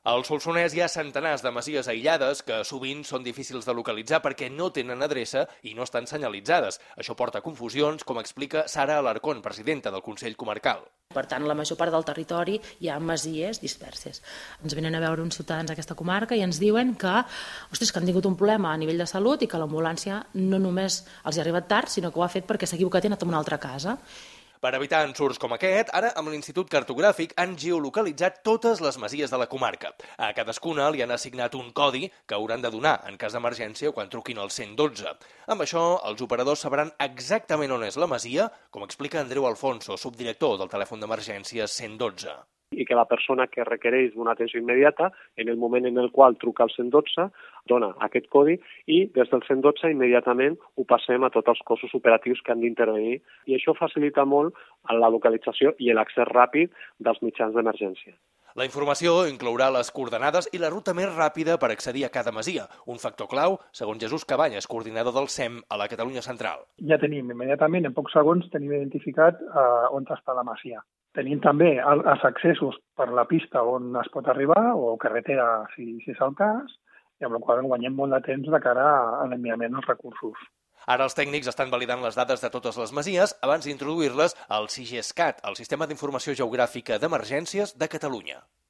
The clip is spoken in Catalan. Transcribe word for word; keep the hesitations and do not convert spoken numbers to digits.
Al Solsonès hi ha centenars de masies aïllades que sovint són difícils de localitzar perquè no tenen adreça i no estan senyalitzades. Això porta a confusions, com explica Sara Alarcón, presidenta del Consell Comarcal. Per tant, la major part del territori hi ha masies disperses. Ens venen a veure uns ciutadans d'aquesta comarca i ens diuen que, ostres, que han tingut un problema a nivell de salut i que l'ambulància no només els ha arribat tard, sinó que ho ha fet perquè s'ha equivocat i ha anat a una altra casa. Per evitar ensurts com aquest, ara amb l'Institut Cartogràfic han geolocalitzat totes les masies de la comarca. A cadascuna li han assignat un codi que hauran de donar en cas d'emergència quan truquin al cent i dotze. Amb això, els operadors sabran exactament on és la masia, com explica Andreu Alfonso, subdirector del telèfon d'emergències cent i dotze. I que la persona que requereix una atenció immediata, en el moment en el qual truca al cent i dotze, dona aquest codi i des del cent i dotze immediatament ho passem a tots els cossos operatius que han d'intervenir i això facilita molt la localització i l'accés ràpid dels mitjans d'emergència. La informació inclourà les coordenades i la ruta més ràpida per accedir a cada masia, un factor clau, segons Jesús Cabanyes, coordinador del S E M a la Catalunya Central. Ja tenim immediatament, en pocs segons, tenim identificat uh, on està la masia. Tenim també els accessos per la pista on es pot arribar o carretera, si, si és el cas, i amb la qual cosa guanyem molt de temps de cara a l'enviament dels recursos. Ara els tècnics estan validant les dades de totes les masies abans d'introduir-les al SIGESCAT, el Sistema d'Informació Geogràfica d'Emergències de Catalunya.